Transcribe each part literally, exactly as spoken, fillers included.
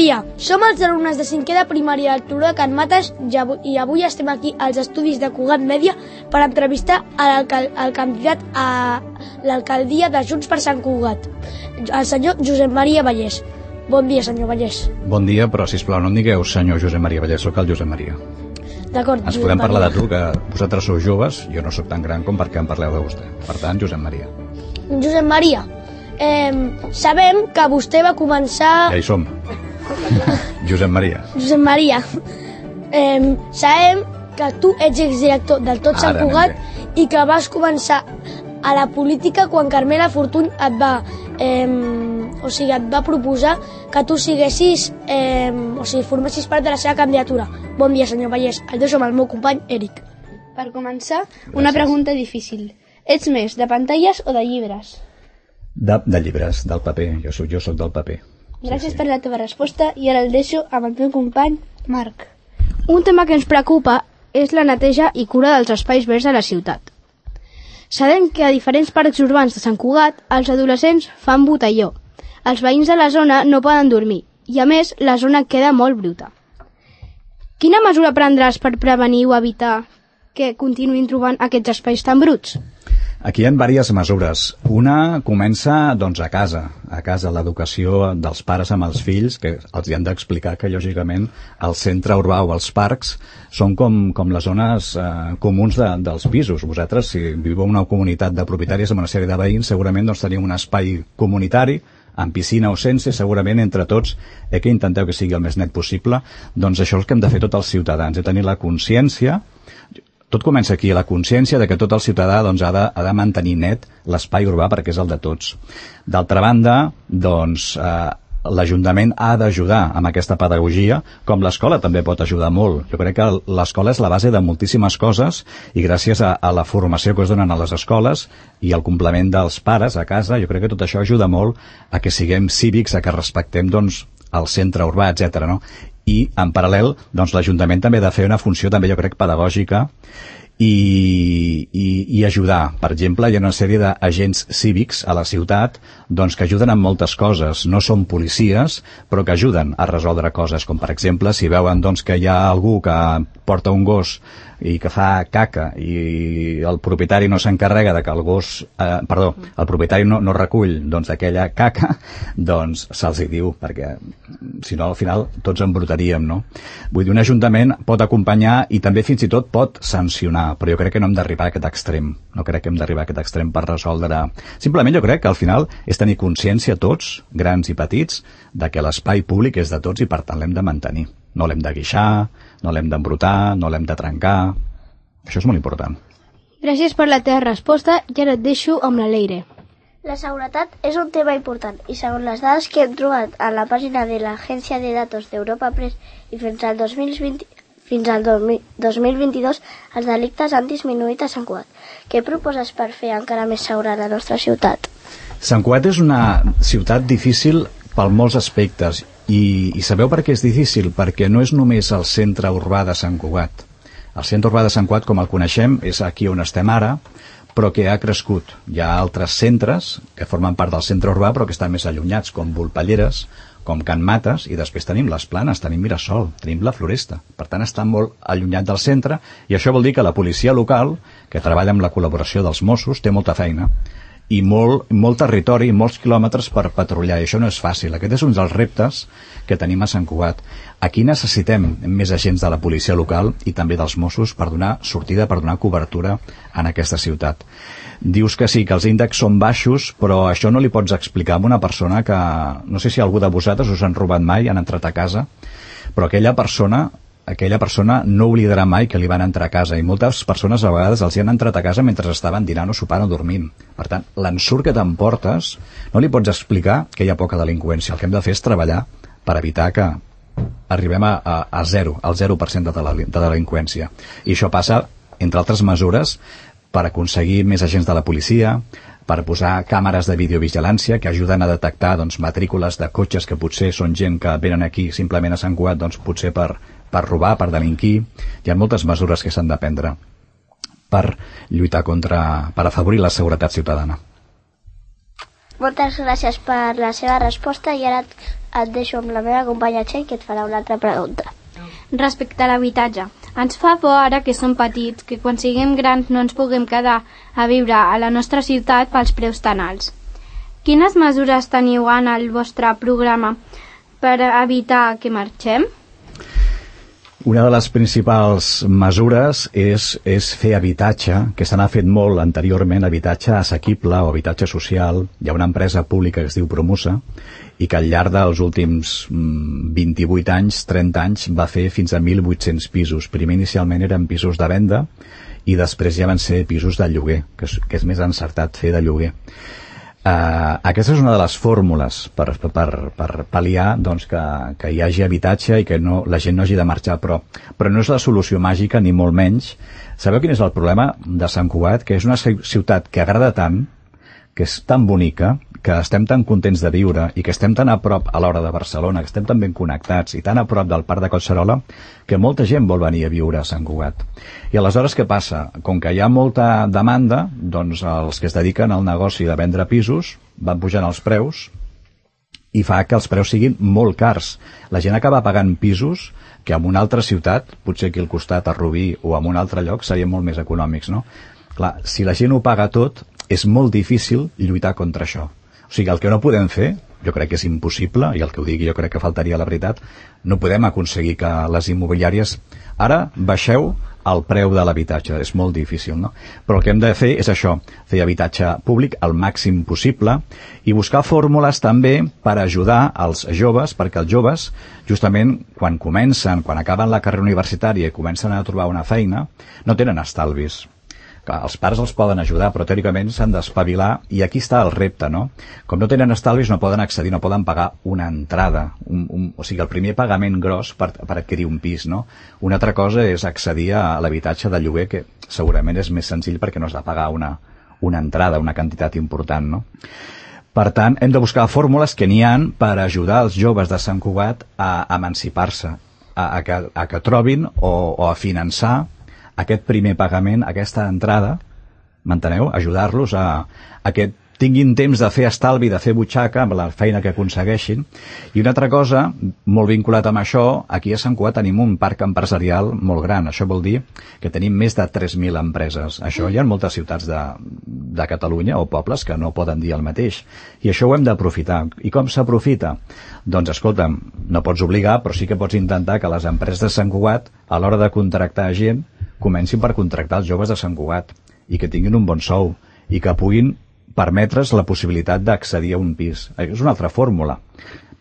dia, som els alumnes de cinquè de primària del Turó de Can Mates i avui estem aquí als estudis de Cugat Mèdia per entrevistar al candidat a l'alcaldia de Junts per Sant Cugat, el senyor Josep Maria Vallès. Bon dia, senyor Vallès. Bon dia, però sisplau no em digueu senyor Josep Maria Vallès, sóc el Josep Maria. D'acord, Ens podem parlar de tu, que vosaltres sou joves, jo no sóc tan gran com perquè em parleu de vostè. Per tant, Josep Maria. Josep Maria, eh, sabem que vostè va començar... Ja hi som. Josep Maria. Josep Maria, eh, sabem que tu ets exdirector del Tot Sant Cugat i que vas començar a la política quan Carmela Fortuny et va, eh, o sigui, et va proposar que tu siguessis, eh, o sigui, formessis part de la seva candidatura. Bon dia, senyor Vallès. El deixo amb el meu company, Eric. Per començar, una pregunta difícil. Ets més de pantalles o de llibres? De, de llibres, del paper. Jo soc, jo soc del paper. Gràcies sí, sí. per la teva resposta i ara el deixo amb el meu company, Marc. Un tema que ens preocupa és la neteja i cura dels espais verds de la ciutat. Sabem que a diferents parcs urbans de Sant Cugat els adolescents fan botelló. Els veïns de la zona no poden dormir i, a més, la zona queda molt bruta. Quina mesura prendràs per prevenir o evitar que continuïn trobant aquests espais tan bruts? Aquí hi ha diverses mesures. Una comença doncs, a casa, a casa, l'educació dels pares amb els fills, que els hi han d'explicar que, lògicament, el centre urbà o els parcs són com, com les zones eh, comuns de, dels pisos. Vosaltres, si viveu en una comunitat de propietaris amb una sèrie de veïns, segurament doncs, teniu un espai comunitari, amb piscina o sense, segurament entre tots, eh, que intenteu que sigui el més net possible. Doncs això és el que hem de fer tots els ciutadans, de tenir la consciència. Tot comença aquí, la consciència de que tot el ciutadà doncs, ha, de, ha de mantenir net l'espai urbà perquè és el de tots. D'altra banda, doncs, eh, l'Ajuntament ha d'ajudar amb aquesta pedagogia, com l'escola també pot ajudar molt. Jo crec que l'escola és la base de moltíssimes coses i gràcies a, a la formació que es donen a les escoles i al complement dels pares a casa, jo crec que tot això ajuda molt a que siguem cívics, a que respectem doncs, el centre urbà, etcètera, no? I, en paral·lel, doncs, l'Ajuntament també ha de fer una funció, també jo crec, pedagògica i, i, i ajudar. Per exemple, hi ha una sèrie d'agents cívics a la ciutat doncs, que ajuden en moltes coses. No són policies, però que ajuden a resoldre coses, com per exemple, si veuen doncs, que hi ha algú que porta un gos i que fa caca i el propietari no s'encarrega de que el gos, eh, perdó, el propietari no, no recull doncs aquella caca, doncs se'ls hi diu, perquè si no al final tots embrutaríem, no? Vull dir, un ajuntament pot acompanyar i també fins i tot pot sancionar, però jo crec que no hem d'arribar a aquest extrem, no crec que hem d'arribar a aquest extrem per resoldre. Simplement jo crec que al final és tenir consciència tots, grans i petits, de que l'espai públic és de tots i per tant l'hem de mantenir. No l'hem de guixar, no l'hem d'embrutar, no l'hem de trencar. Això és molt important. Gràcies per la teva resposta i ara et deixo amb la Leire. La seguretat és un tema important i segons les dades que hem trobat a la pàgina de l'Agència de Datos d'Europa Press i fins al dos mil vint, fins al dos mil vint-i-dos els delictes han disminuït a Sant Cugat. Què proposes per fer encara més segura la nostra ciutat? Sant Cugat és una ciutat difícil per molts aspectes i, i sabeu per què és difícil? Perquè no és només el centre urbà de Sant Cugat. El centre urbà de Sant Cugat, com el coneixem, és aquí on estem ara, però que ha crescut. Hi ha altres centres que formen part del centre urbà però que estan més allunyats, com Volpelleres, com Can Mates, i després tenim les Planes, tenim Mirasol, tenim la Floresta. Per tant, estan molt allunyat del centre i això vol dir que la policia local, que treballa amb la col·laboració dels Mossos, té molta feina i molt, molt territori, molts quilòmetres per patrullar, i això no és fàcil. Aquest és un dels reptes que tenim a Sant Cugat. Aquí necessitem més agents de la policia local i també dels Mossos per donar sortida, per donar cobertura en aquesta ciutat. Dius que sí, que els índexs són baixos, però això no li pots explicar a una persona que, no sé si algú de vosaltres us han robat mai, han entrat a casa, però aquella persona aquella persona no oblidarà mai que li van entrar a casa, i moltes persones a vegades els hi han entrat a casa mentre estaven dinant o sopant o dormint. Per tant, l'ensurt que t'emportes no li pots explicar que hi ha poca delinqüència. El que hem de fer és treballar per evitar que arribem a, a, a zero, al zero per cent de, de delinqüència. I això passa, entre altres mesures, per aconseguir més agents de la policia, per posar càmeres de videovigilància que ajuden a detectar doncs, matrícules de cotxes que potser són gent que venen aquí simplement a Sant Cugat, doncs, potser per, per robar, per delinquir. Hi ha moltes mesures que s'han de prendre per lluitar contra, per afavorir la seguretat ciutadana. Moltes gràcies per la seva resposta i ara et deixo amb la meva companya Txell, que et farà una altra pregunta. Respecte a l'habitatge, ens fa por ara que som petits, que quan siguem grans no ens puguem quedar a viure a la nostra ciutat pels preus tan alts. Quines mesures teniu en el vostre programa per evitar que marxem? Una de les principals mesures és, és fer habitatge, que se n'ha fet molt anteriorment, habitatge assequible o habitatge social. Hi ha una empresa pública que es diu Promusa i que al llarg dels últims vint-i-vuit anys, trenta anys, va fer fins a mil vuit-cents pisos. Primer inicialment eren pisos de venda i després ja van ser pisos de lloguer, que és, que és més encertat fer de lloguer. Uh, aquesta és una de les fórmules per, per, per pal·liar doncs, que, que hi hagi habitatge i que no, la gent no hagi de marxar, però, però no és la solució màgica ni molt menys. Sabeu quin és el problema de Sant Cugat? Que és una ciutat que agrada tant, que és tan bonica, que estem tan contents de viure i que estem tan a prop a l'hora de Barcelona, que estem tan ben connectats i tan a prop del Parc de Collserola, que molta gent vol venir a viure a Sant Cugat. I aleshores què passa? Com que hi ha molta demanda, doncs els que es dediquen al negoci de vendre pisos van pujant els preus i fa que els preus siguin molt cars. La gent acaba pagant pisos que en una altra ciutat, potser aquí al costat, a Rubí o en un altre lloc, serien molt més econòmics, no? Clar, si la gent ho paga tot, és molt difícil lluitar contra això. O sigui, el que no podem fer, jo crec que és impossible, i el que ho digui jo crec que faltaria la veritat, no podem aconseguir que les immobiliàries ara baixeu el preu de l'habitatge, és molt difícil, no? Però el que hem de fer és això, fer habitatge públic al màxim possible i buscar fórmules també per ajudar els joves, perquè els joves, justament quan comencen, quan acaben la carrera universitària i comencen a trobar una feina, no tenen estalvis. Clar, els pares els poden ajudar, però teòricament s'han d'espavilar i aquí està el repte, no? Com no tenen estalvis no poden accedir, no poden pagar una entrada, un, un, o sigui, el primer pagament gros per, per adquirir un pis, no? Una altra cosa és accedir a l'habitatge de lloguer, que segurament és més senzill perquè no has de pagar una, una entrada, una quantitat important, no? Per tant, hem de buscar fórmules que n'hi han per ajudar els joves de Sant Cugat a emancipar-se, a, a, que, a que trobin o, o a finançar aquest primer pagament, aquesta entrada, m'enteneu? Ajudar-los a, a que tinguin temps de fer estalvi, de fer butxaca amb la feina que aconsegueixin. I una altra cosa, molt vinculat amb això, aquí a Sant Cugat tenim un parc empresarial molt gran. Això vol dir que tenim més de tres mil empreses. Això hi ha moltes ciutats de, de Catalunya o pobles que no poden dir el mateix. I això ho hem d'aprofitar. I com s'aprofita? Doncs, escolta'm, no pots obligar, però sí que pots intentar que les empreses de Sant Cugat, a l'hora de contractar gent, comencin per contractar els joves de Sant Cugat i que tinguin un bon sou i que puguin permetre's la possibilitat d'accedir a un pis. És una altra fórmula,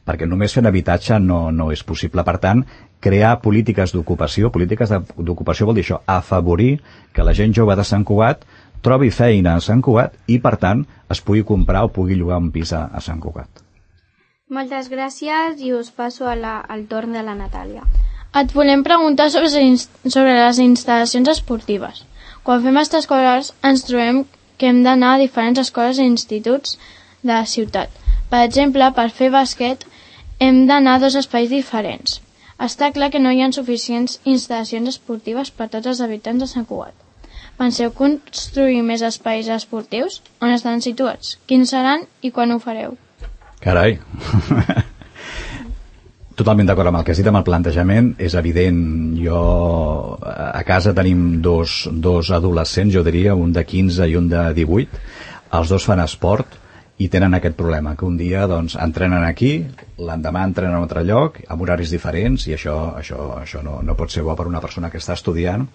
perquè només fent habitatge no, no és possible. Per tant, crear polítiques d'ocupació, polítiques d'ocupació vol dir això, afavorir que la gent jove de Sant Cugat trobi feina a Sant Cugat i, per tant, es pugui comprar o pugui llogar un pis a, a Sant Cugat. Moltes gràcies i us passo a la, al torn de la Natàlia. Et volem preguntar sobre, sobre les instal·lacions esportives. Quan fem extraescolars ens trobem que hem d'anar a diferents escoles i instituts de la ciutat. Per exemple, per fer bàsquet hem d'anar a dos espais diferents. Està clar que no hi ha suficients instal·lacions esportives per tots els habitants de Sant Cugat. Penseu construir més espais esportius? On estan situats? Quins seran i quan ho fareu? Carai! Totalment d'acord amb el que has dit, amb el plantejament. És evident, jo a casa tenim dos, dos adolescents, jo diria, un de quinze i un de divuit. Els dos fan esport i tenen aquest problema, que un dia doncs, entrenen aquí, l'endemà entrenen a un altre lloc, amb horaris diferents, i això, això, això no, no pot ser bo per una persona que està estudiant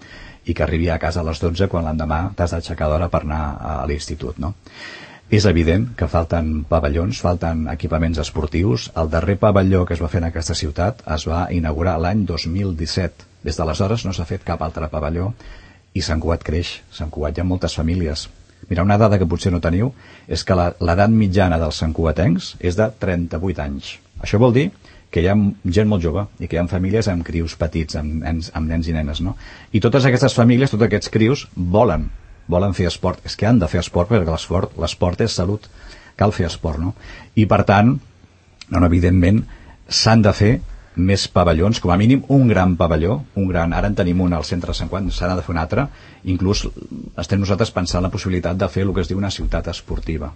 i que arribi a casa a les dotze quan l'endemà t'has d'aixecar d'hora per anar a l'institut, no? És evident que falten pavellons, falten equipaments esportius. El darrer pavelló que es va fer en aquesta ciutat es va inaugurar l'any dos mil disset. Des d'aleshores no s'ha fet cap altre pavelló i Sant Cugat creix. Sant Cugat hi ha moltes famílies. Mira, una dada que potser no teniu és que l'edat mitjana dels santcugatencs és de trenta-vuit anys. Això vol dir que hi ha gent molt jove i que hi ha famílies amb crius petits, amb nens, amb nens i nenes, no? I totes aquestes famílies, tots aquests crius, volen volen fer esport, és que han de fer esport perquè l'esport, l'esport és salut, cal fer esport, no? I per tant, no, evidentment, s'han de fer més pavellons, com a mínim un gran pavelló, un gran, ara en tenim un al centre de Sant Cugat, s'ha de fer un altre, inclús estem nosaltres pensant la possibilitat de fer el que es diu una ciutat esportiva.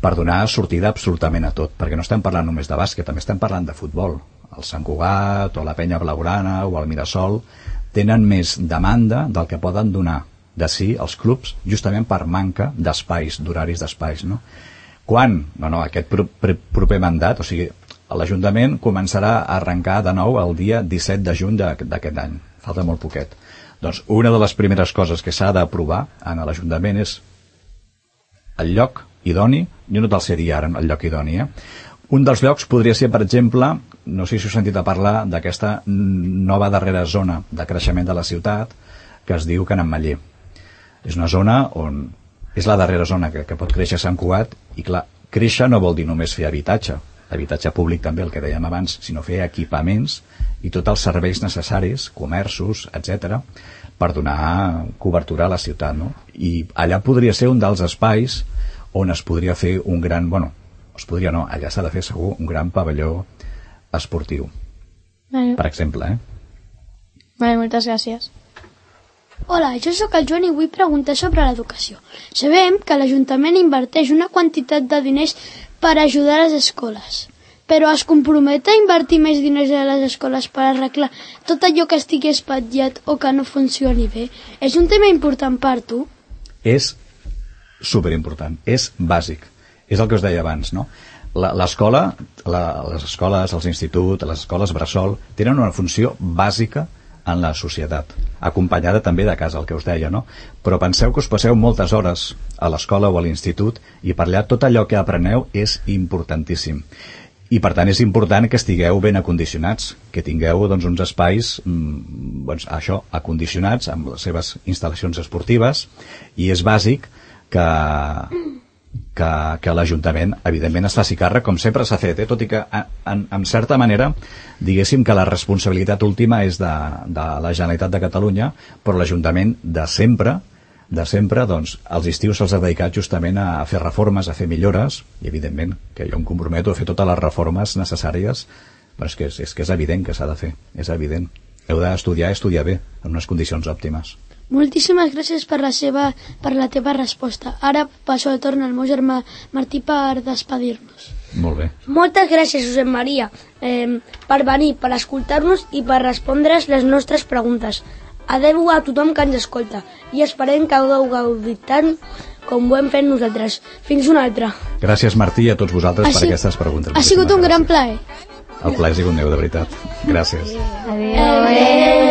per donar sortida absolutament a tot, perquè no estem parlant només de bàsquet, també estem parlant de futbol. El Sant Cugat o la Penya Blaugrana o el Mirasol tenen més demanda del que poden donar de si els clubs, justament per manca d'espais, d'horaris d'espais, no? Quan? No, no, aquest pro pro proper mandat, o sigui, l'Ajuntament començarà a arrencar de nou el dia disset de juny d'aquest any. Falta molt poquet. Doncs una de les primeres coses que s'ha d'aprovar en l'Ajuntament és el lloc idoni, jo no te'l sé dir ara, el lloc idoni, eh? Un dels llocs podria ser, per exemple, no sé si heu sentit a parlar d'aquesta nova darrera zona de creixement de la ciutat, que es diu Can Ametller. És una zona on és la darrera zona que, que pot créixer Sant Cugat, i clar, créixer no vol dir només fer habitatge, habitatge públic també, el que dèiem abans, sinó fer equipaments i tots els serveis necessaris, comerços, etcètera, per donar cobertura a la ciutat, no? I allà podria ser un dels espais on es podria fer un gran, bueno, es podria no, allà s'ha de fer segur un gran pavelló esportiu. Vale. Per exemple, eh? Vale, moltes gràcies. Hola, jo sóc el Joan i vull preguntar sobre l'educació. Sabem que l'Ajuntament inverteix una quantitat de diners per ajudar a les escoles, però es compromet a invertir més diners a les escoles per arreglar tot allò que estigui espatllat o que no funcioni bé. És un tema important per tu? És superimportant, és bàsic. És el que us deia abans, no? L'escola, les escoles, els instituts, les escoles bressol, tenen una funció bàsica en la societat, acompanyada també de casa, el que us deia, no? Però penseu que us passeu moltes hores a l'escola o a l'institut i per allà tot allò que apreneu és importantíssim. I per tant és important que estigueu ben acondicionats, que tingueu doncs, uns espais mmm, doncs, això, acondicionats amb les seves instal·lacions esportives, i és bàsic que... que, que l'Ajuntament evidentment es faci càrrec, com sempre s'ha fet, eh? Tot i que en, en certa manera diguéssim que la responsabilitat última és de, de la Generalitat de Catalunya, però l'Ajuntament de sempre de sempre, doncs, els estius se'ls ha dedicat justament a fer reformes, a fer millores, i evidentment que jo em comprometo a fer totes les reformes necessàries, però és que és, és, que és evident que s'ha de fer, és evident. Heu d'estudiar i estudiar bé, en unes condicions òptimes. Moltíssimes gràcies per la, seva, per la teva resposta. Ara passo el torn al meu germà Martí per despedir-nos. Molt bé. Moltes gràcies, Josep Maria, eh, per venir, per escoltar-nos i per respondre's les nostres preguntes. Adeu a tothom que ens escolta i esperem que hagueu gaudit tant com ho hem fet nosaltres. Fins una altra. Gràcies, Martí, a tots vosaltres per aquestes preguntes. Ha sigut un gran plaer. El plaer ha sigut meu, de veritat. Gràcies. Adéu. Adéu.